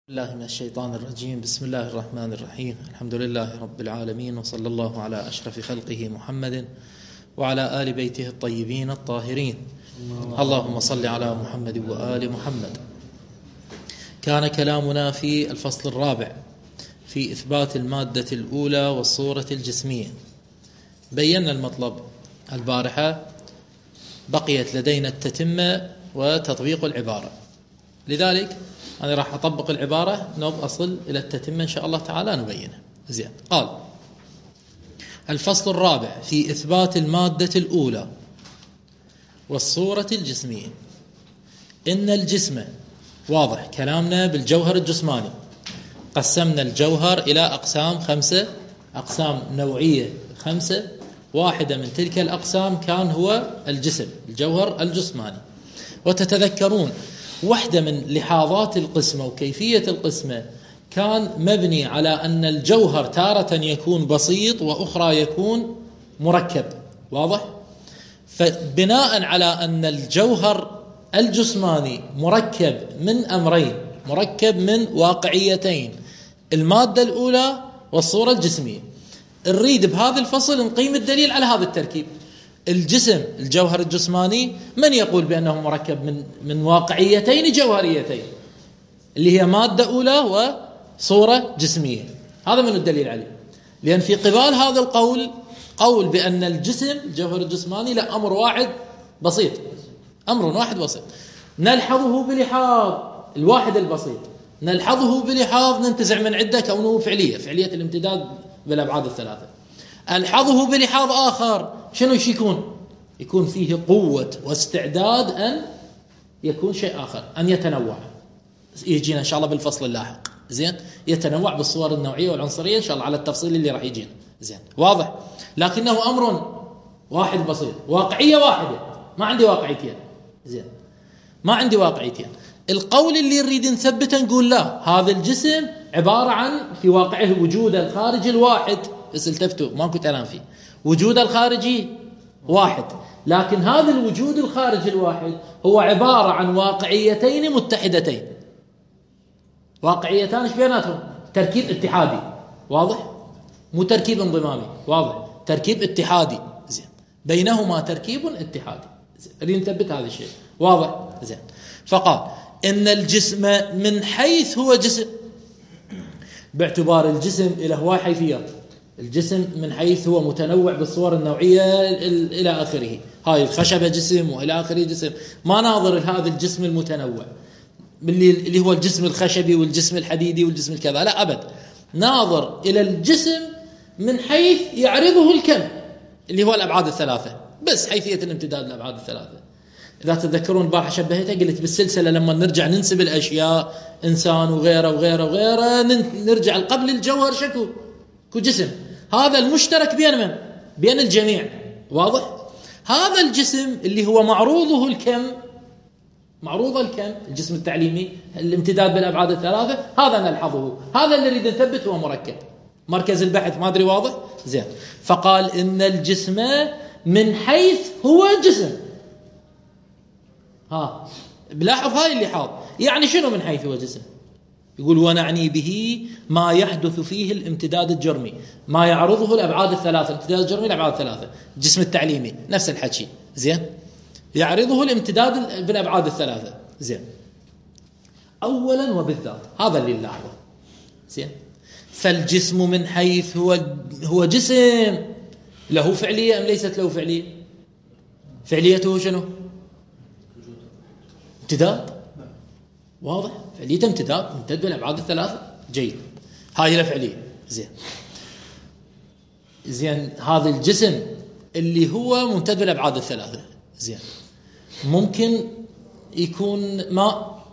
الله من الشيطان الرجيم. بسم الله الرحمن الرحيم. الحمد لله رب العالمين، وصلى الله على أشرف خلقه محمد وعلى آل بيته الطيبين الطاهرين. اللهم صل على محمد وآل محمد. كان كلامنا في الفصل الرابع في إثبات المادة الأولى والصورة الجسمية. بينا المطلب البارحة، بقيت لدينا التتمة وتطبيق العبارة، لذلك أنا راح أطبق العبارة أصل إلى التتمة إن شاء الله تعالى نبينه. زين. قال الفصل الرابع في إثبات المادة الأولى والصورة الجسمية. إن الجسم، واضح كلامنا بالجوهر الجسماني، قسمنا الجوهر إلى أقسام 5، أقسام نوعية 5، واحدة من تلك الأقسام كان هو الجسم، الجوهر الجسماني. وتتذكرون واحدة من لحاظات القسمة وكيفية القسمة كان مبني على أن الجوهر تارة يكون بسيط وأخرى يكون مركب، واضح؟ فبناء على أن الجوهر الجسماني مركب من أمرين، مركب من واقعيتين، المادة الأولى والصورة الجسمية، نريد بهذا الفصل نقيم الدليل على هذا التركيب. الجسم، الجوهر الجسماني، من يقول بأنه مركب من واقعيتين جوهريتين، اللي هي مادة أولى وصورة جسمية؟ هذا من الدليل عليه، لأن في قبال هذا القول قول بأن الجسم، الجوهر الجسماني، لا، أمر واحد بسيط، أمر واحد بسيط نلحظه بلحاظ الواحد البسيط، نلحظه بلحاظ ننتزع من عدة كونه فعلية الامتداد بالأبعاد الثلاثة. ألحظه بلحاظ آخر، شنو يكون فيه قوة واستعداد أن يكون شيء آخر، أن يتنوع. يجينا إن شاء الله بالفصل اللاحق. زين، يتنوع بالصور النوعية والعنصرية إن شاء الله على التفصيل اللي راح يجينا. زين، واضح. لكنه أمر واحد بسيط، واقعية واحدة، ما عندي واقعيتين. زين، ما عندي واقعيتين. القول اللي نريد نثبته نقول لا، هذا الجسم عبارة عن في واقعه وجود الخارجي الواحد، بس التفتوا ماكو كلام فيه، وجود الخارجي واحد، لكن هذا الوجود الخارجي الواحد هو عبارة عن واقعيتين متحدتين، واقعيتان ايش بيناتهم؟ تركيب اتحادي، واضح؟ مو تركيب انضمامي، واضح؟ تركيب اتحادي. زين، بينهما تركيب اتحادي. زين، نريد نثبت هذا الشيء، واضح؟ زين. فقال إن الجسم من حيث هو جسم، باعتبار الجسم له حيثيات، الجسم من حيث هو متنوع بالصور النوعية إلى آخره، هاي الخشبة جسم وإلى آخره جسم، ما ناظر هذا الجسم المتنوع اللي هو الجسم الخشبي والجسم الحديدي والجسم الكذا، لا أبد، ناظر إلى الجسم من حيث يعرضه الكم اللي هو الأبعاد الثلاثة، بس حيثية الامتداد الأبعاد الثلاثة. إذا تتذكرون البارحة شبهتها، قلت بالسلسلة لما نرجع ننسب الأشياء، إنسان وغيره وغيره وغيره، نرجع قبل الجوهر شكو جسم، هذا المشترك بين من؟ بين الجميع، واضح؟ هذا الجسم اللي هو معروضه الكم، معروض الكم، الجسم التعليمي، الامتداد بالأبعاد الثلاثة، هذا نلحظه، هذا اللي نريد نثبت هو مركب، مركز البحث، ما أدري واضح؟ زين. فقال إن الجسم من حيث هو جسم، بلاحظ هاي اللحاظ، يعني شنو من حيث هو جسم؟ يقول ونعني به ما يحدث فيه الامتداد الجرمي، ما يعرضه الأبعاد الثلاثة، الامتداد الجرمي الأبعاد الثلاثة، الجسم التعليمي نفس الحكي. زين، يعرضه الامتداد بالأبعاد الثلاثة. زين، أولا وبالذات هذا اللي نلاحظه. زين، فالجسم من حيث هو جسم له فعلية أم ليست له فعلية؟ فعليته شنو؟ امتداد، واضح؟ فعلية امتداد، ممتد بالأبعاد الثلاثة. جيد، هاي له فعلية. زين، هذا الجسم اللي هو ممتد بالأبعاد الثلاثة، زين، ممكن يكون ماء،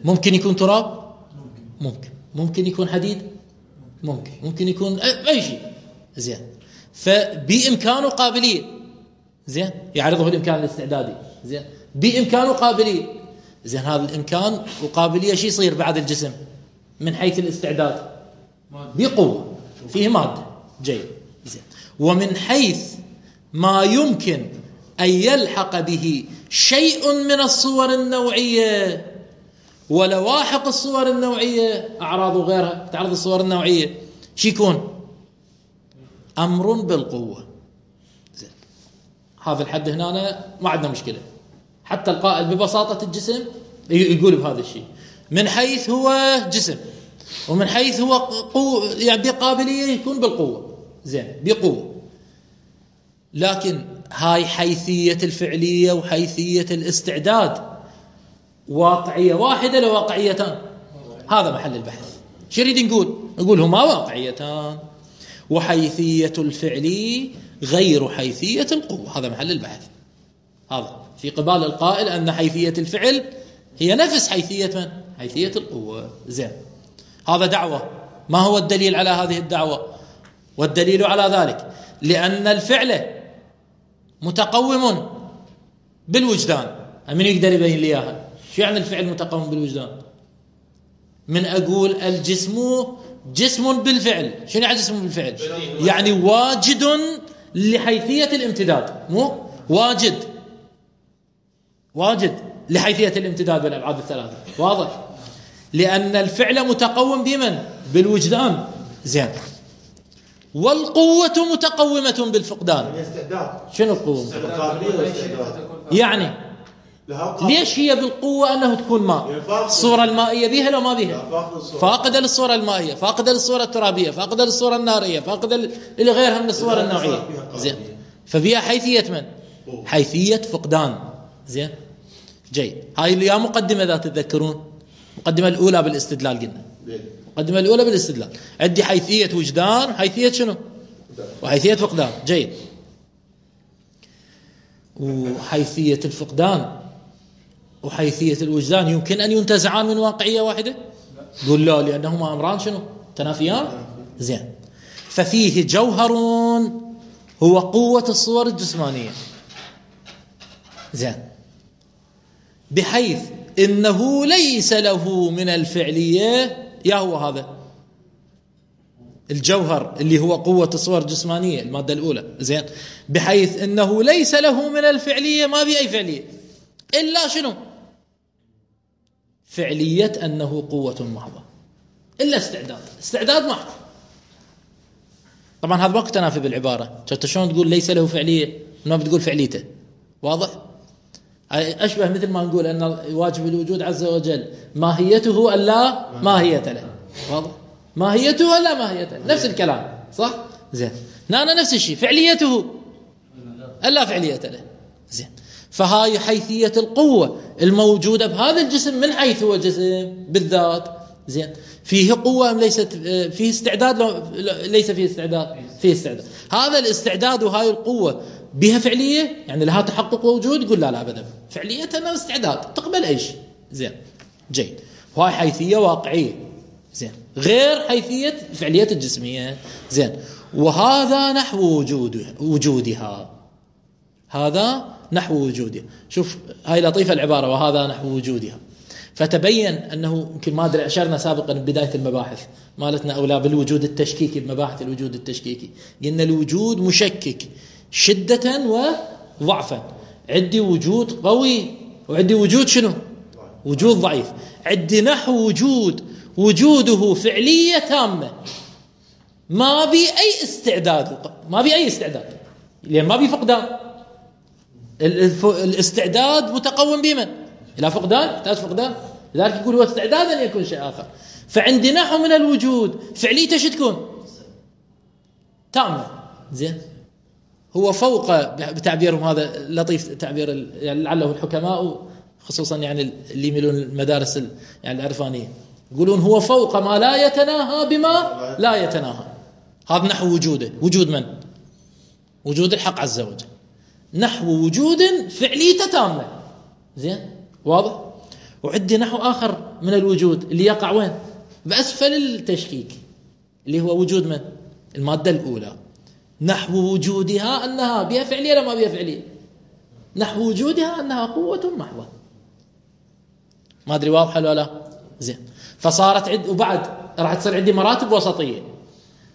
ممكن يكون تراب، ممكن يكون حديد، ممكن يكون أي شيء. زين، فبإمكانه قابلية. زين، يعرضه الإمكان الاستعدادي. زين، بإمكانه قابلية. زين، هذا الإمكان وقابلية شيء يصير بعد الجسم من حيث الاستعداد؟ بقوة، فيه مادة. جيد. زين، ومن حيث ما يمكن أن يلحق به شيء من الصور النوعية ولواحق الصور النوعية أعراض وغيرها تعرض الصور النوعية شو يكون؟ أمر بالقوة. زين هذا الحد هنا ما عندنا مشكلة. حتى القائل ببساطة الجسم يقول بهذا الشيء من حيث هو جسم ومن حيث هو يعني بقابلية يكون بالقوة. زين بقوة. لكن هاي حيثية الفعلية وحيثية الاستعداد واقعية واحدة لواقعيتان. هذا محل البحث. شو يريد نقول هما واقعيتان وحيثية الفعلي غير حيثية القوة. هذا محل البحث. هذا في قبال القائل أن حيثية الفعل هي نفس حيثية من؟ حيثية القوة. زين هذا دعوة. ما هو الدليل على هذه الدعوة؟ والدليل على ذلك لأن الفعل متقوم بالوجدان. من يقدر يبين لي إياها؟ شو يعني الفعل متقوم بالوجدان؟ من أقول الجسم جسم بالفعل. شنو يعني جسم بالفعل؟ يعني واجد لحيثية الامتداد. مو واجد لحيثية الامتداد بالأبعاد الثلاثة. واضح؟ لأن الفعل متقوم بمن؟ بالوجدان. زين والقوة متقومة بالفقدان. شنو القوة؟ يعني ليش هي بالقوة أنه تكون ماء؟ الصورة المائية بيها لو ما بيها؟ فاقدة للصورة المائية، فاقدة للصورة الترابية، فاقدة للصورة النارية، فاقدة لغيرها من الصور النوعية. زين فبيها حيثية من؟ حيثية فقدان. زين جيد. هاي اللي يا مقدمة ذات تتذكرون المقدمة الأولى بالاستدلال قلنا. المقدمة الأولى بالاستدلال عندي حيثية وجدان وحيثية شنو؟ وحيثية فقدان. جيد. وحيثية الفقدان وحيثية الوجدان يمكن أن ينتزعان من واقعية واحدة؟ قل لا، لأنهما أمران شنو؟ تنافيان. زين ففيه جوهر هو قوة الصور الجسمانية. زين بحيث إنه ليس له من الفعلية يا هو هذا الجوهر اللي هو قوة الصور الجسمانية المادة الأولى. زين بحيث إنه ليس له من الفعلية ما بأي فعلية إلا شنو؟ فعلية أنه قوة محضة، إلا استعداد محض. طبعا هذا ما تنافي بالعبارة. شفت شلون تقول ليس له فعلية ما بتقول فعليته؟ واضح؟ أشبه مثل ما نقول أن واجب الوجود عز وجل ماهيته ألا ماهية له. واضح؟ ماهيته ألا ماهية له، نفس الكلام صح؟ زين أنا نفس الشيء فعليته ألا فعلية له. زين فهاي حيثية القوة الموجودة بهذا الجسم من حيث هو جسم بالذات. زين فيه قوة أم ليست فيه استعداد؟ ليس فيه استعداد، فيه استعداد. هذا الاستعداد وهاي القوة بها فعلية يعني لها تحقق ووجود؟ يقول لا أبدا، فعليتها استعداد تقبل أي شيء. زين جيد. وهاي حيثية واقعية. زين غير حيثية فعلية الجسمية. زين وهذا نحو وجودها. هذا نحو وجودها. شوف هاي لطيفة العبارة وهذا نحو وجودها. فتبين أنه يمكن ما أدري أشرنا سابقا بداية المباحث مالتنا أولى بالوجود التشكيكي بمباحث الوجود التشكيكي. قلنا الوجود مشكك شدة وضعفا. عندي وجود قوي وعندي وجود شنو؟ وجود ضعيف. عندي نحو وجوده فعلية تامة ما بي أي استعداد لأن ما بي فقدان. الاستعداد متقوم بمن؟ إلى فقدان، يحتاج فقدان. لذلك يقول هو استعداد أن يكون شيء آخر. فعندي نحو من الوجود فعليته شو تكون؟ تامة. زين هو فوق بتعبيرهم هذا لطيف تعبير يعني لعله الحكماء خصوصا يعني اللي يميلون المدارس يعني العرفانية يقولون هو فوق ما لا يتناهى بما لا يتناهى. هذا نحو وجوده. وجود من؟ وجود الحق عز وجل. نحو وجود فعليته تامة. زين واضح؟ وعندي نحو آخر من الوجود اللي يقع وين؟ بأسفل التشكيك اللي هو وجود من؟ المادة الأولى. نحو وجودها أنها بها فعلية ولا ما بها فعلية؟ نحو وجودها أنها قوة محضة. ما أدري واضحة ولا لا؟ زين فصارت وبعد راح تصير عندي مراتب وسطية.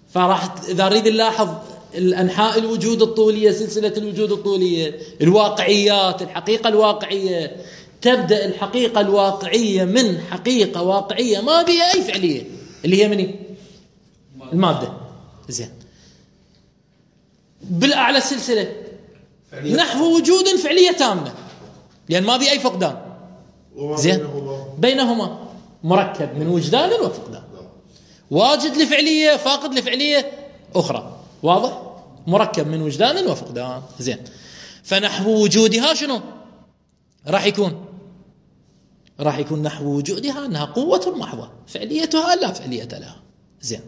فراح إذا أريد نلاحظ الأنحاء الوجود الطولية، سلسلة الوجود الطولية، الواقعيات، الحقيقة الواقعية، تبدأ الحقيقة الواقعية من حقيقة واقعية ما بها أي فعلية، اللي هي مني المادة. زين، بالأعلى السلسلة نحو وجود فعلية تامة، لأن ما بها أي فقدان. زين، بينهما مركب من وجدان وفقدان، واجد لفعلية فاقد لفعلية أخرى. واضح؟ مركب من وجدان وفقدان. زين، فنحو وجودها شنو راح يكون؟ راح يكون نحو وجودها أنها قوة محضة، فعليتها لا فعلية لها. زين،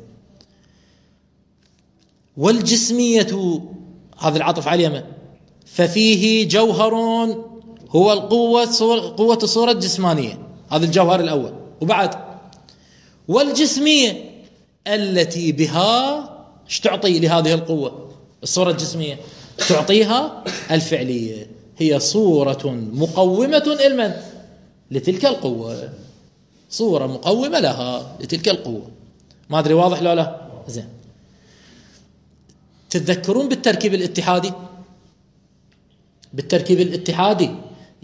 والجسمية هذا العطف على اليمن، ففيه جوهر هو قوة الصورة الجسمانية، هذا الجوهر الأول. وبعد والجسمية التي بها ايش تعطي لهذه القوة الصورة الجسمية؟ تعطيها الفعلية، هي صورة مقومة المن لتلك القوة، صورة مقومة لها لتلك القوة. ما أدري واضح لو لا؟ زين، تتذكرون بالتركيب الاتحادي؟ بالتركيب الاتحادي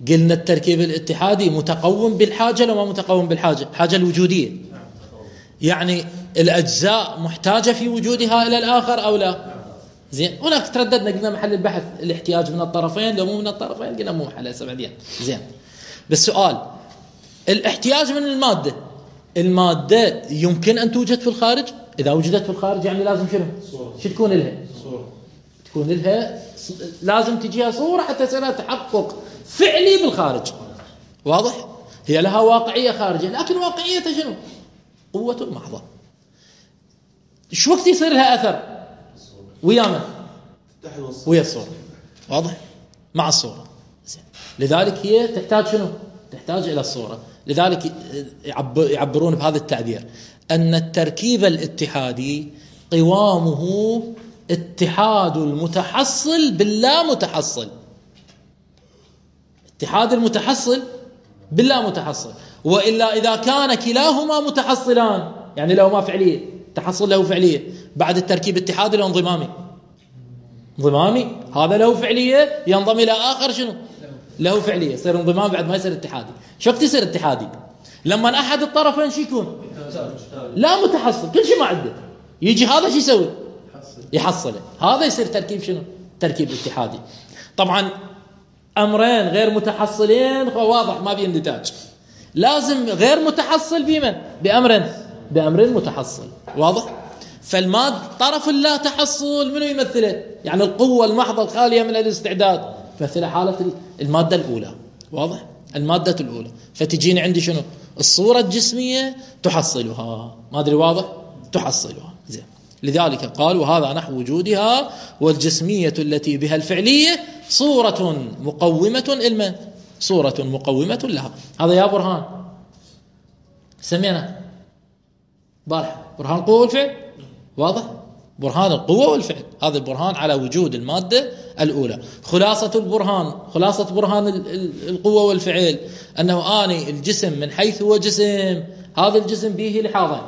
قلنا التركيب الاتحادي متقوم بالحاجة لو ما متقوم بالحاجة، الحاجة الوجودية، يعني الأجزاء محتاجة في وجودها إلى الآخر أو لا. زين، هناك ترددنا قلنا محل البحث الاحتياج من الطرفين، لو مو من الطرفين قلنا مو محل هسه بعدين. زين، بالسؤال الاحتياج من المادة يمكن أن توجد في الخارج؟ إذا وجدت في الخارج يعني لازم شنو؟ شو تكون لها؟ تكون لها لازم تجيها صورة حتى يصير لها تحقق فعلي بالخارج. واضح؟ هي لها واقعية خارجية، لكن واقعيتها شنو؟ قوة محضة. شو وقت يصير لها أثر؟ ويا من؟ ويا الصورة. واضح؟ مع الصورة. زين، لذلك هي تحتاج شنو؟ تحتاج إلى الصورة. لذلك يعبرون بهذا التعبير أن التركيب الاتحادي قوامه اتحاد المتحصل باللا متحصل، اتحاد المتحصل باللا متحصل. وإلا إذا كان كلاهما متحصلان، يعني لو ما فعلية تحصل له فعلية، بعد التركيب اتحادي له انضمامي، هذا له فعلية ينضم إلى آخر شنو له فعلية، يصير انضمام بعد ما يصير اتحادي. شو وقت يصير اتحادي؟ لما أحد الطرفين شو يكون؟ لا متحصل، كل شيء ما عنده، يجي هذا شو يسوي؟ يحصله. هذا يصير تركيب شنو؟ تركيب اتحادي. طبعا أمرين غير متحصلين واضح ما بين نتاج، لازم غير متحصل بمن؟ بأمر متحصل. واضح؟ فالماد طرف اللا تحصل منو يمثله؟ يعني القوة المحضة الخالية من الاستعداد مثل حالة المادة الأولى. واضح؟ المادة الأولى، فتجيني عندي شنو؟ الصورة الجسمية تحصلها. ما أدري واضح؟ تحصلها. زين، لذلك قال وهذا نحو وجودها والجسمية التي بها الفعلية صورة مقومة المن، صورة مقومة لها. هذا يا برهان سمينا بارح برهان القوة والفعل. واضح؟ برهان القوة والفعل، هذا البرهان على وجود المادة الأولى. خلاصة برهان القوة والفعل أنه آني الجسم من حيث هو جسم، هذا الجسم به لحاظين،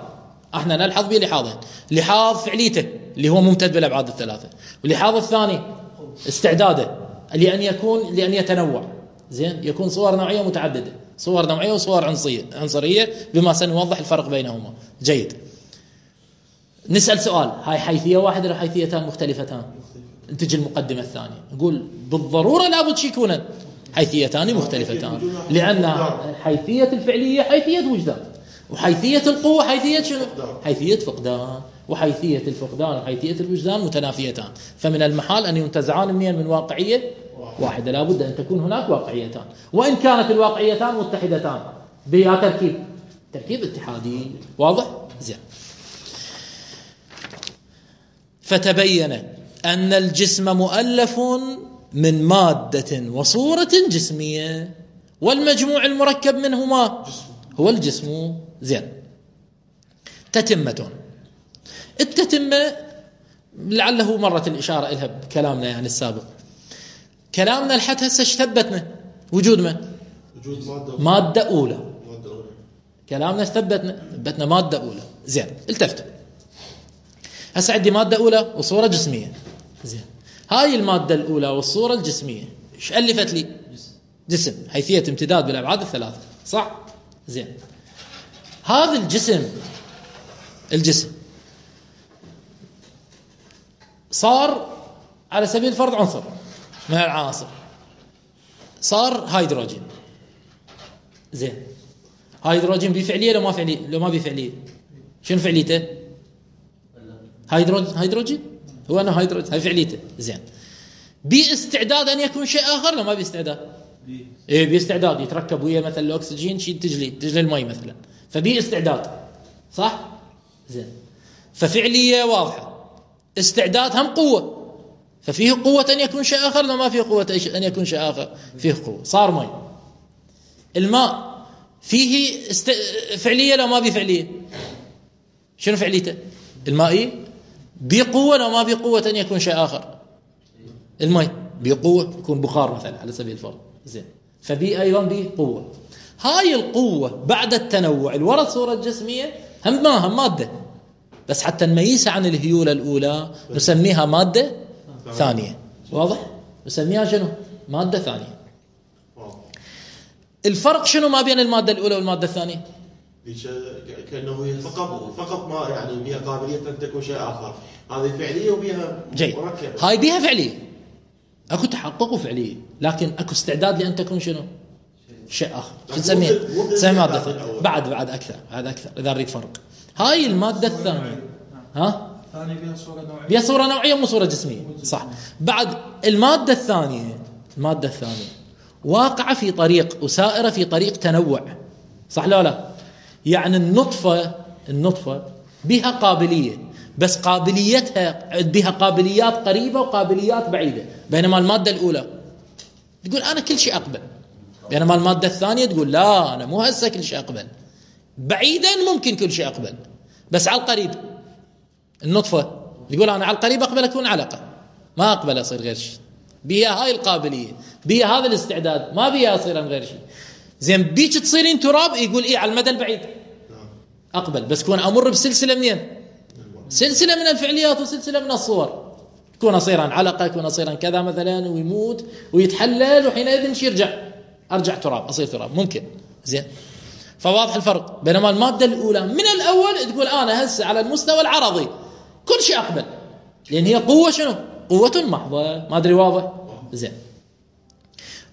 احنا نلحظ به لحاظين: لحاظ فعليته اللي هو ممتد بالأبعاد الثلاثة، واللحاظ الثاني استعداده لأن يتنوع. زين، يكون صور نوعية متعددة، صور نوعية وصور عنصرية بما سنوضح الفرق بينهما. جيد، نسأل سؤال: هاي حيثية واحدة ولا حيثيتان مختلفتان؟ تجي المقدمة الثانية نقول بالضرورة لابد يكون حيثيتان مختلفتان، لأن حيثية الفعلية حيثية وجدان، وحيثية القوة حيثية شنو؟ حيثية فقدان، وحيثية الفقدان وحيثية الوجدان متنافيتان، فمن المحال أن ينتزعان من واقعية واحدة، لابد أن تكون هناك واقعيتان، وإن كانت الواقعيتان متحدتان بها تركيب اتحادي. واضح؟ زين، فتبين أن الجسم مؤلف من مادة وصورة جسمية، والمجموع المركب منهما هو الجسم. زين، تتمة. التتمة لعله مرت الإشارة إلها بكلامنا يعني السابق. كلامنا لحد هسه ثبتنا وجود من؟ وجود مادة أولى. كلامنا ثبتنا مادة أولى. زين، التفتوا هسه عندي مادة أولى وصورة جسمية. زين، هاي المادة الأولى والصورة الجسمية ايش ألفت لي؟ جسم حيثية امتداد بالأبعاد الثلاثة، صح؟ زين. هذا الجسم صار على سبيل الفرض عنصر من العناصر، صار هيدروجين. زين، هيدروجين بفعلية لو ما فعلية؟ لو ما بفعلية شنو فعليته؟ هيدروجين هو أنه هيدروجين، هاي فعليته. زين، باستعداد أن يكون شيء آخر لو ما باستعداد؟ إيه باستعداد، يتركب ويا مثلا الأكسجين شيء تجلي المي مثلا، فباستعداد، صح؟ زين، ففعلية واضحة، استعداد هم قوة، ففيه قوة أن يكون شيء آخر لو ما فيه قوة أن يكون شيء آخر، فيه قوة، صار مي. الماء فيه فعلية لو ما بفعلية؟ شنو فعليته؟ المائي بقوة لو ما بقوة أن يكون شيء آخر؟ المي بقوة، يكون بخار مثلا على سبيل الفرض. زين، فبي أيضا بقوة. هاي القوة بعد التنوع الورد صورة جسمية هم مادة، بس حتى نميزها عن الهيولة الأولى نسميها مادة ثانية. واضح؟ نسميها شنو؟ مادة ثانية. الفرق شنو ما بين المادة الأولى والمادة الثانية؟ كأنه هي فقط ما يعني بها قابلية أن تكون شيء آخر، هذه فعلية وبها مركبة. هاي بها فعلية، اكو تحقق وفعلية، لكن اكو استعداد لأن تكون شنو؟ شيء آخر. شو نسميها؟ نسميها مادة ثانية. بعد أكثر إذا نريد فرق. هاي المادة الثانية ثانية بها صورة نوعية مو صورة جسمية، صح؟ بعد المادة الثانية واقعة في طريق وسائرة في طريق تنوع، صح لا؟ يعني النطفة بها قابلية، بس قابليتها بها قابليات قريبة وقابليات بعيدة، بينما المادة الأولى تقول أنا كل شيء أقبل، بينما المادة الثانية تقول لا أنا مو هسه كل شيء أقبل، بعيدا ممكن كل شيء أقبل، بس على القريب. النطفة تقول أنا على القريب أقبل أكون علقة، ما أقبل أصير غير شيء، بيها هاي القابلية، بيها هذا الاستعداد، ما بيها أصير غير شيء. زين، بيك تصيرين تراب، يقول إيه على المدى البعيد أقبل، بس كون أمر بسلسلة منين؟ سلسلة من الفعليات وسلسلة من الصور، كون أصيرا علقة، كون أصيرا كذا مثلا، ويموت ويتحلل، وحينئذ أرجع تراب، أصير تراب، ممكن. زين، فواضح الفرق. بينما المادة الأولى من الأول تقول أنا هسه على المستوى العرضي كل شيء أقبل، لأن هي قوة شنو؟ قوة محضة. ما أدري واضح؟ زين،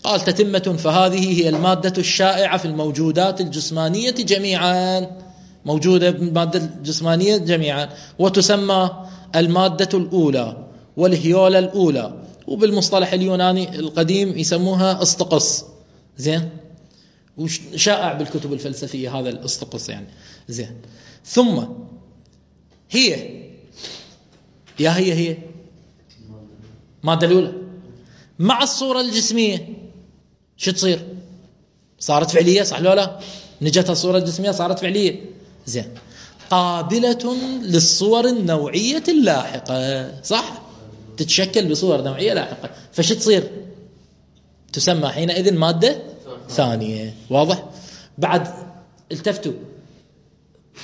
قال تتمة، فهذه هي المادة الشائعة في الموجودات الجسمانية جميعا، موجودة بالمادة الجسمانية جميعا، وتسمى المادة الأولى والهيولة الأولى، وبالمصطلح اليوناني القديم يسموها اسطقس. زين، وشائع بالكتب الفلسفية هذا الاسطقس يعني. زين، ثم هي المادة الأولى مع الصورة الجسمية شو تصير؟ صارت فعلية، صح لا؟ نجتها الصورة الجسمية صارت فعلية. زين، قابلة للصور النوعية اللاحقة، صح؟ تتشكل بصور نوعية لاحقة، فش تصير؟ تسمى حينئذ مادة ثانية. واضح؟ بعد التفتوا،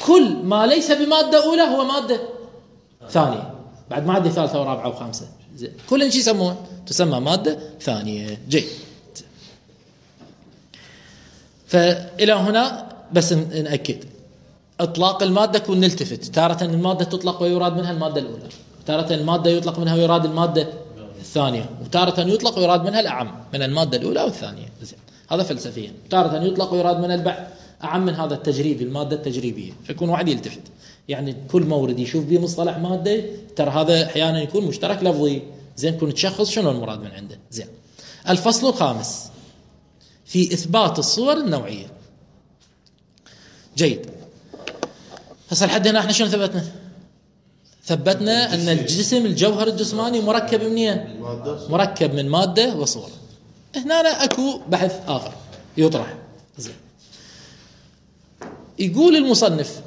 كل ما ليس بمادة أولى هو مادة ثانية، بعد مادة ثالثة ورابعة وخامسة، كل شيء يسمون تسمى مادة ثانية. جيد، فإلى هنا بس نأكد إطلاق المادة كون نلتفت، تارة المادة تطلق ويراد منها المادة الأولى، تارة المادة يطلق منها ويراد المادة الثانية، وتارة يطلق ويراد منها الأعم من المادة الأولى والثانية. زين، هذا فلسفيا. تارة يطلق ويراد من البعض أعم من هذا التجريبي، المادة التجريبية، فيكون واحد يلتفت، يعني كل مورد يشوف به مصطلح مادة، ترى هذا أحيانا يكون مشترك لفظي. زين، كون تشخص شنو المراد من عنده. زين، الفصل الخامس في إثبات الصور النوعية. جيد، هسه لحد هنا احنا شنو ثبتنا أن الجسم الجوهر الجسماني مركب منين؟ مركب من مادة وصور. هنا أكو بحث آخر يطرح. زين، يقول المصنف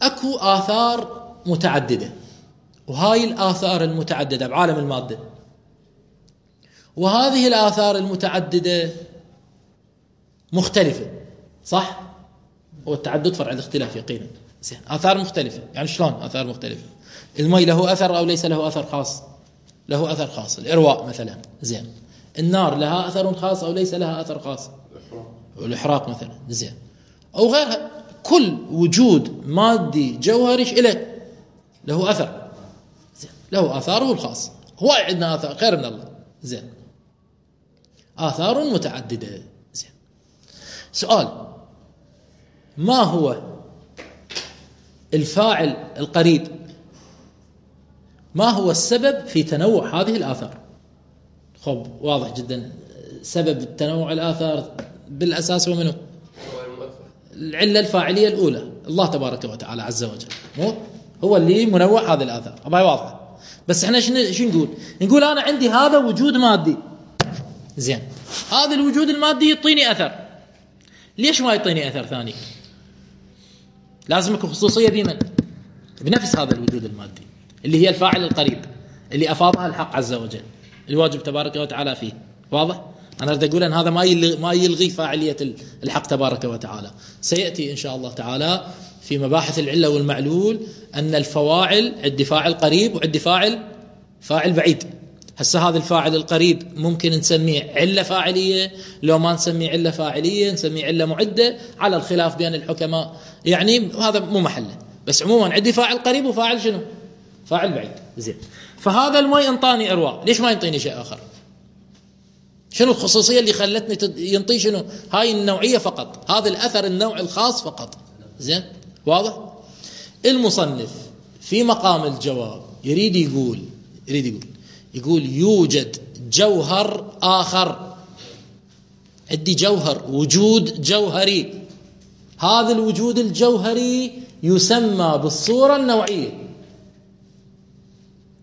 أكو آثار متعددة، وهاي الآثار المتعددة بعالم المادة، وهذه الآثار المتعددة مختلفة، صح؟ والتعدد فرع الاختلاف يقينا. زين، آثار مختلفة، يعني شلون آثار مختلفة؟ المي له أثر أو ليس له أثر خاص؟ له أثر خاص، الإرواء مثلا. زين، النار لها أثر خاص أو ليس لها أثر خاص؟ الإحراق مثلا، زين، أو غيرها. كل وجود مادي جوهري له أثر، زين، له آثاره الخاص. هو عندنا آثار خير من الله، زين، آثار متعددة، زين. سؤال: ما هو الفاعل القريب؟ ما هو السبب في تنوع هذه الآثار؟ خب واضح جدا، سبب تنوع الآثار بالأساس هو منه؟ العلة الفاعلية الأولى، الله تبارك وتعالى عز وجل، مو هو اللي منوع هذه الآثار، هاي واضحة. بس احنا شو نقول؟ نقول أنا عندي هذا وجود مادي، زين، هذا الوجود المادي يعطيني أثر. ليش ما يعطيني أثر ثاني؟ لازم يكون خصوصية بمن؟ بنفس هذا الوجود المادي اللي هي الفاعل القريب اللي أفاضها الحق عز وجل، الواجب تبارك وتعالى فيه. واضح؟ أنا أريد أقول أن هذا ما يلغي فاعلية الحق تبارك وتعالى. سيأتي إن شاء الله تعالى في مباحث العلة والمعلول أن الفواعل عندي فاعل قريب وعندي فاعل بعيد. هسه هذا الفاعل القريب ممكن نسميه علة فاعلية، لو ما نسميه علة فاعلية نسميه علة معدة، على الخلاف بين الحكماء، يعني هذا مو محله. بس عموما عندي فاعل قريب وفاعل شنو؟ فاعل بعيد، زين. فهذا الماء انطاني أرواح، ليش ما ينطيني شيء آخر؟ شنو الخصوصية اللي خلتني ينطي شنو؟ هاي النوعية فقط، هذا الأثر النوع الخاص فقط، زين، واضح؟ المصنف في مقام الجواب يريد يقول يوجد جوهر آخر، عندي جوهر، وجود جوهري، هذا الوجود الجوهري يسمى بالصورة النوعية.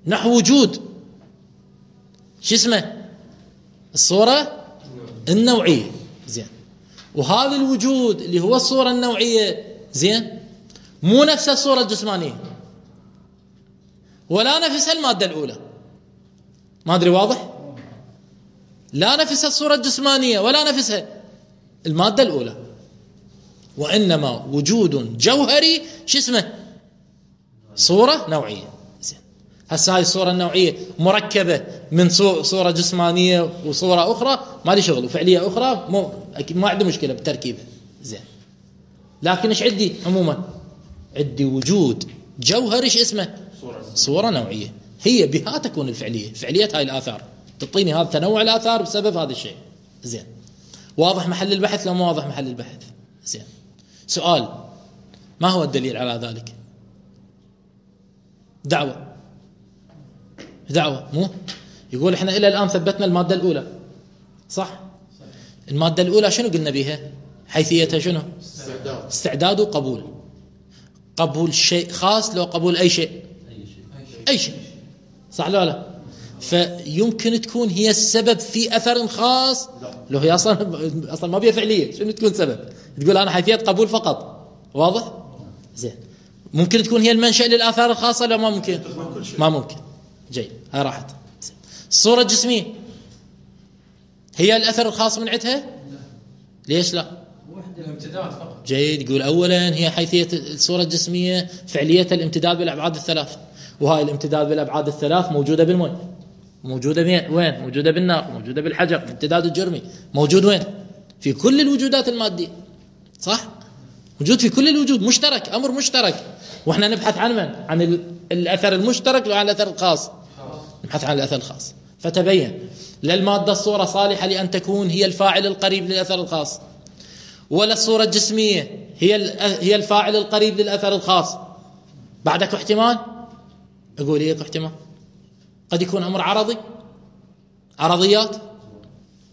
نحو وجود شو اسمه؟ الصورة النوعية، زين. وهذا الوجود اللي هو الصورة النوعية، زين، مو نفس الصورة الجسمانية ولا نفس المادة الأولى. ما أدري واضح؟ لا نفس الصورة الجسمانية ولا نفسها المادة الأولى، وإنما وجود جوهري شو اسمه؟ صورة نوعية، زين. هسه هاي الصورة النوعية مركبة من صورة جسمانية وصورة أخرى، ما لي شغل، وفعلية أخرى أكيد ما عندي مشكلة بالتركيبة، زين. لكن إيش عندي عموما؟ عندي وجود جوهري شو اسمه؟ صورة نوعية، هي بها تكون الفعلية، فعلية هاي الآثار تعطيني هذا تنوع الآثار بسبب هذا الشيء، زين. واضح محل البحث لو ما واضح محل البحث؟ زين. سؤال: ما هو الدليل على ذلك؟ دعوة مو يقول احنا إلى الآن ثبتنا المادة الأولى، صح؟ المادة الأولى شنو قلنا بها؟ حيثيتها شنو؟ استعداد وقبول. قبول شيء خاص لو قبول أي شيء، صح لا؟ فيمكن تكون هي السبب في أثر خاص لو هي أصلا ما بيها فعلية، شنو تكون سبب؟ تقول أنا حيثية قبول فقط، واضح؟ زين. ممكن تكون هي المنشأ للآثار الخاصة لو ما ممكن؟ ما ممكن. جيد، هاي راحت. الصورة الجسمية هي الأثر الخاص من عندها؟ ليش لا؟ الامتداد فقط. جيد، يقول أولا هي حيثية الصورة الجسمية فعلية الامتداد بالأبعاد الثلاث، وهاي الامتداد بالأبعاد الثلاث موجودة بالماء، موجودة وين؟ موجودة بالنار، موجودة بالحجر، الامتداد الجرمي موجود وين؟ في كل الوجودات المادية، صح؟ موجود في كل الوجود، مشترك، أمر مشترك. وإحنا نبحث عن من؟ عن الأثر المشترك وعن الأثر الخاص، نبحث عن الأثر الخاص. فتبين للمادة الصورة صالحة لأن تكون هي الفاعل القريب للأثر الخاص، ولا الصورة الجسمية هي الفاعل القريب للأثر الخاص. بعدك احتمال؟ أقول ليك احتمال، قد يكون أمر عرضيات،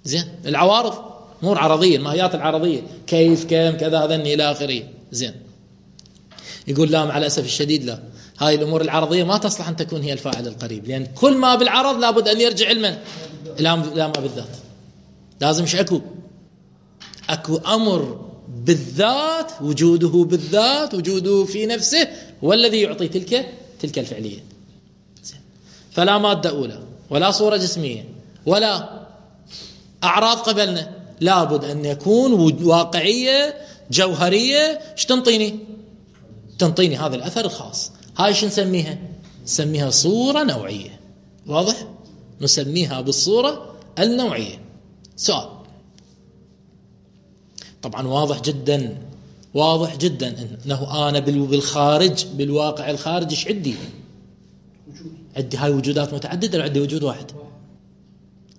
زين، العوارض، مو العرضية، الماهيات العرضية، كيف، كم، كذا، هذا إلى آخره، زين. يقول لا، مع الأسف الشديد لا، هاي الأمور العرضية ما تصلح أن تكون هي الفاعل القريب، لأن كل ما بالعرض لابد أن يرجع علما إلى ما بالذات. لازم أكو أمر بالذات، وجوده بالذات، وجوده في نفسه هو الذي يعطي تلك الفعلية. فلا مادة أولى ولا صورة جسمية ولا أعراض قبلنا، لابد أن يكون واقعية جوهرية. ايش تنطيني هذا الأثر الخاص. هاي شو نسميها؟ نسميها صورة نوعية، واضح؟ نسميها بالصورة النوعية. سؤال، طبعا واضح جدا واضح جدا انه انا بالخارج بالواقع الخارج ايش عندي؟ عندي هاي وجودات متعددة، عندي وجود واحد.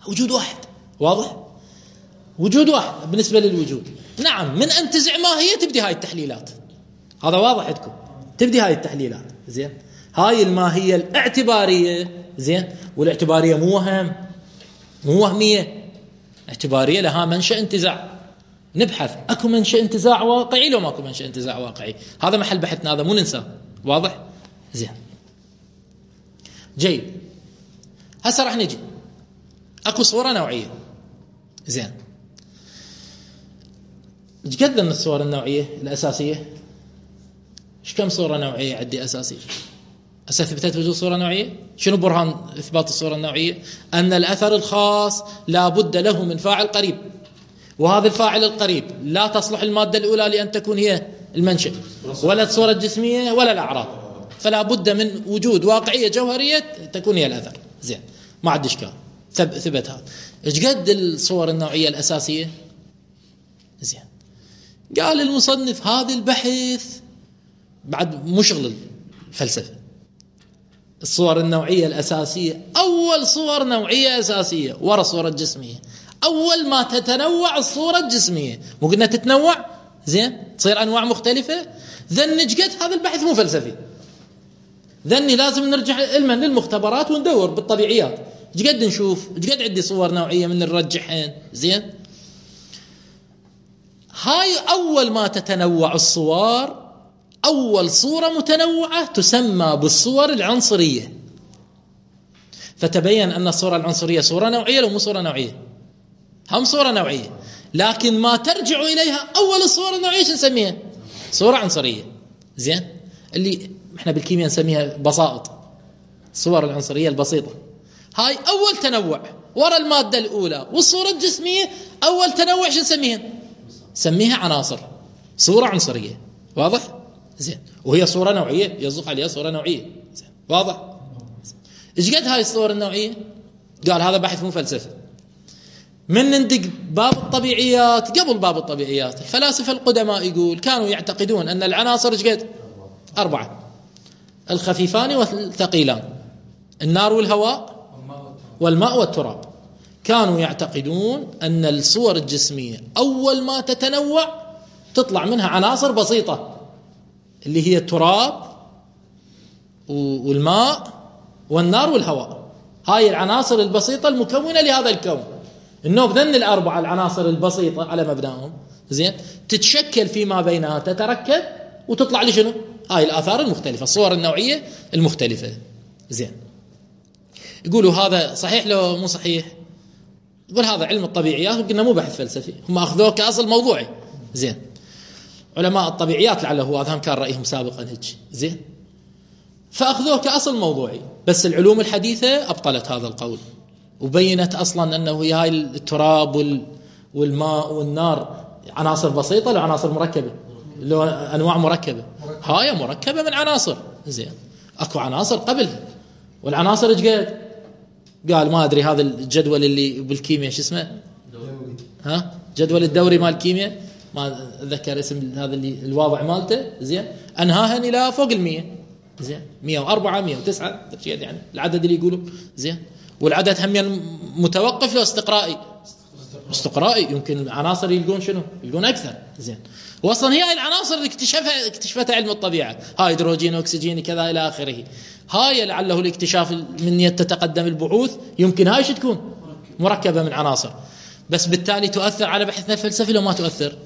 وجود واحد واضح، وجود واحد بالنسبة للوجود. نعم، من انتزع ماهية تبدي هاي التحليلات، هذا واضح عندكم، تبدي هاي التحليلات. زين، هاي الماهية الاعتبارية. زين، والاعتبارية مو وهم، مو وهمية، اعتبارية لها منشأ انتزاع. نبحث اكو منشأ انتزاع واقعي لو ماكو منشأ انتزاع واقعي، هذا محل بحثنا، هذا مو ننساه. واضح؟ زين، جيد. هسه راح نجي اكو صورة نوعية. زين، ايش قد من الصور النوعية الأساسية؟ ايش كم صورة نوعية عندي أساسية؟ هسه ثبتت وجود صورة نوعية. شنو برهان إثبات الصورة النوعية؟ أن الأثر الخاص لا بد له من فاعل قريب، وهذا الفاعل القريب لا تصلح المادة الأولى لأن تكون هي المنشأ، ولا الصورة الجسمية ولا الأعراض، فلا بد من وجود واقعية جوهرية تكون هي الأثر. زين، ما عاد إشكال، ثبت هذا. ايش قد الصور النوعية الأساسية؟ زين، قال المصنف هذا البحث بعد مو شغل الفلسفة. الصور النوعية الأساسية أول صور نوعية أساسية ورا الصورة الجسمية. أول ما تتنوع الصورة الجسمية، مو قلنا تتنوع؟ زين، تصير أنواع مختلفة. ذن قد هذا البحث مو فلسفي، ذني لازم نرجع علما للمختبرات وندور بالطبيعيات. ايش قد نشوف، ايش قد عندي صور نوعية من نرجحين. زين، هاي أول ما تتنوع الصور، أول صورة متنوعة تسمى بالصور العنصرية. فتبين أن الصورة العنصرية صورة نوعية لو مو صورة نوعية؟ هم صورة نوعية، لكن ما ترجع إليها أول الصور النوعية شو نسميها؟ صورة عنصرية. زين، اللي احنا بالكيمياء نسميها بسائط، الصور العنصرية البسيطة. هاي أول تنوع ورا المادة الأولى. والصورة الجسمية أول تنوع شو نسميها؟ سميها عناصر، صورة عنصرية. واضح؟ زين، وهي صورة نوعية يصدق عليها صورة نوعية. زين، واضح؟ ايش قد هاي الصور النوعية؟ قال هذا بحث مو فلسفي. من ندق باب الطبيعيات، قبل باب الطبيعيات الفلاسفة القدماء يقول كانوا يعتقدون أن العناصر ايش قد؟ 4، الخفيفان والثقيلان، النار والهواء والماء والتراب. كانوا يعتقدون أن الصور الجسمية أول ما تتنوع تطلع منها عناصر بسيطة اللي هي التراب والماء والنار والهواء. هاي العناصر البسيطة المكونة لهذا الكون. النوب ذن الأربعة العناصر البسيطة على مبناهم. زين، تتشكل فيما بينها، تتركب وتطلع لي شنو؟ هاي الآثار المختلفة، الصور النوعية المختلفة. زين، يقولوا هذا صحيح لو مو صحيح؟ يقول هذا علم الطبيعيات، وقلنا مو بحث فلسفي، هم أخذوه كأصل موضوعي. زين، علماء الطبيعيات لعله هو هذا كان رأيهم سابقا هيك. زين، فأخذوه كأصل موضوعي. بس العلوم الحديثة أبطلت هذا القول، وبينت أصلا أنه هي هاي التراب والماء والنار عناصر بسيطة لو عناصر مركبة، لو أنواع مركبة. هاي مركبة من عناصر. زين، أكو عناصر قبل، والعناصر ايش قد؟ قال ما أدري، هذا الجدول اللي بالكيمياء شو اسمه؟ ها، جدول الدوري مال الكيمياء، ما أذكر اسم هذا اللي الواضع مالته. زين، أنهاهن إلى فوق 100. زين، 104 109 يعني العدد اللي يقولوا. زين، والعدد هم متوقف له استقرائي، يمكن عناصر يلقون شنو؟ يلقون أكثر. زين، واصلا هي العناصر اللي اكتشفتها علم الطبيعة، هاي هيدروجين واكسجين كذا إلى آخره. هاي لعله الاكتشاف من يتقدم البحوث، يمكن هاي شو تكون؟ مركبة من عناصر. بس بالتالي تؤثر على بحثنا الفلسفي لو ما تؤثر؟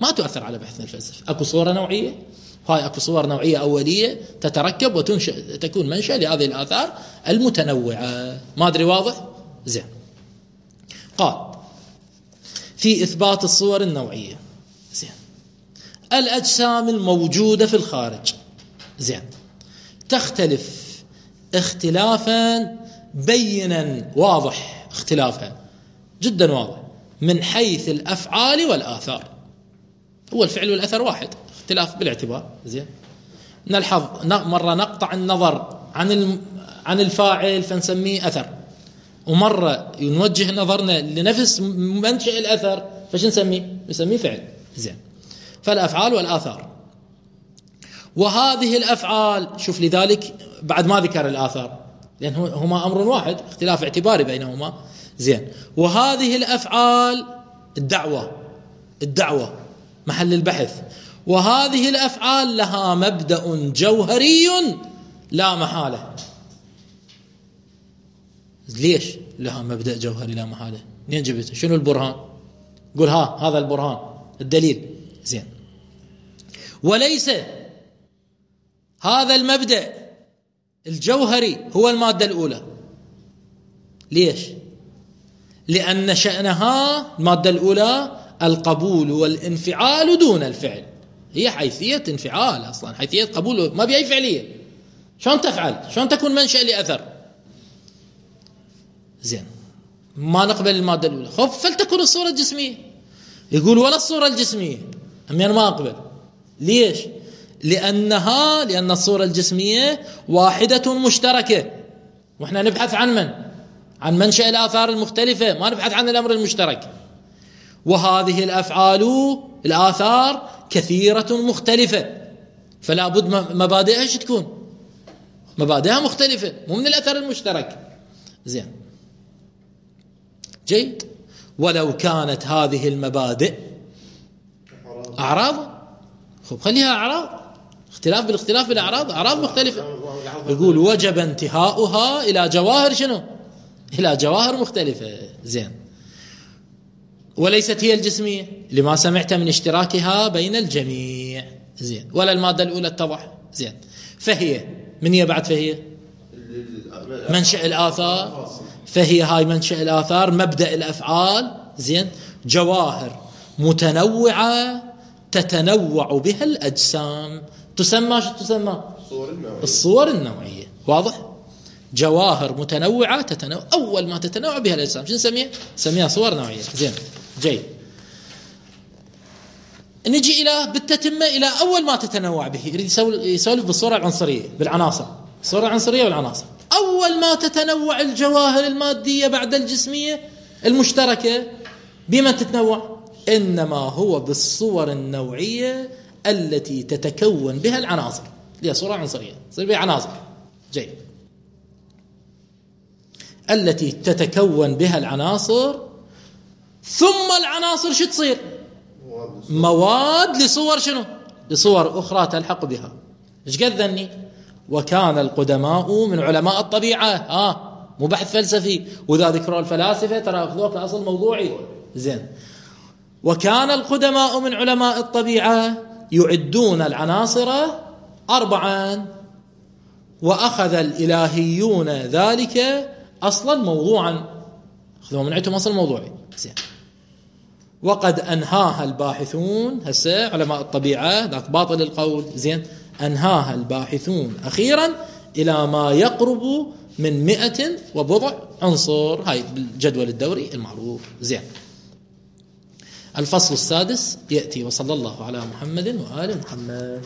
ما تؤثر على بحثنا الفلسفي. أكو صورة نوعية، هاي أكو صور نوعية أولية تتركب وتنشأ، تكون منشأ لهذه الآثار المتنوعة. ما أدري واضح؟ زين، قال في إثبات الصور النوعية. زين، الأجسام الموجودة في الخارج، زين، تختلف اختلافا بينا واضح، اختلافها جدا واضح من حيث الأفعال والآثار. هو الفعل والأثر واحد، اختلاف بالاعتبار. زين، نلحظ مرة نقطع النظر عن الفاعل فنسميه أثر، ومرة نوجه نظرنا لنفس منشأ الأثر، فش نسميه فعل. زين. فالأفعال والآثار. وهذه الأفعال، شوف لذلك بعد ما ذكر الآثار لأن هما أمر واحد، اختلاف اعتباري بينهما. زين. وهذه الأفعال الدعوة محل البحث. وهذه الأفعال لها مبدأ جوهري لا محالة. ليش لها مبدأ جوهري لا محالة؟ منين جبته؟ شنو البرهان؟ قول هذا البرهان، الدليل. زين. وليس هذا المبدأ الجوهري هو المادة الأولى. ليش؟ لأن شأنها المادة الأولى القبول والانفعال دون الفعل. هي حيثية انفعال أصلا، حيثية قبول، ما بأي فعلية. شلون تفعل؟ شلون تكون منشأ لأثر؟ زين. ما نقبل المادة الأولى، خب فلتكن الصورة الجسمية. يقول ولا الصورة الجسمية، أنا ما أقبل. ليش؟ لأن الصورة الجسمية واحدة مشتركة، وإحنا نبحث عن منشأ الآثار المختلفة، ما نبحث عن الأمر المشترك. وهذه الآثار كثيرة مختلفة، فلا بد مبادئها ايش تكون؟ مبادئها مختلفة، مو من الأثر المشترك. زين. جيد. ولو كانت هذه المبادئ أعراض، خليها أعراض، اختلاف بالاختلاف بالأعراض، أعراض مختلفة. يقول وجب انتهاؤها إلى جواهر شنو؟ إلى جواهر مختلفة. زين. وليست هي الجسمية لما سمعت من اشتراكها بين الجميع. زين. ولا المادة الأولى اتضح. زين. فهي من هي بعد؟ فهي منشأ الآثار. فهي هاي منشأ الآثار، مبدأ الأفعال. زين. جواهر متنوعة تتنوع بها الأجسام، تسمى شو تسمى؟ الصور النوعية. واضح؟ جواهر متنوعة تتنوع، أول ما تتنوع بها الأجسام شو نسميها؟ صور نوعية. زين. جيد. نجي بالتتمة إلى أول ما تتنوع به. يريد يسولف بالصورة العنصرية، بالعناصر، الصورة العنصرية والعناصر. أول ما تتنوع الجواهر المادية بعد الجسمية المشتركة، بما تتنوع؟ إنما هو بالصور النوعية التي تتكون بها العناصر، اللي هي صورة عنصرية، تصير بها عناصر. جيد. التي تتكون بها العناصر، ثم العناصر شو تصير؟ مواد لصور شنو؟ لصور أخرى تلحق بها. إيش قد ذني؟ وكان القدماء من علماء الطبيعة. مو بحث فلسفي، وإذا ذكروا الفلاسفة ترى أخذوه كأصل موضوعي. زين. وكان القدماء من علماء الطبيعة يعدون العناصر 4، وأخذ الإلهيون ذلك أصلا موضوعا، أخذوه من عندهم أصل موضوعي. زين. وقد أنهاها الباحثون، هسه علماء الطبيعة ذاك باطل القول. زين. أنهاها الباحثون أخيرا إلى ما يقرب من 100 وبضع عنصر، هاي بالجدول الدوري المعروف. زين. الفصل السادس يأتي. وصلى الله على محمد وآل محمد.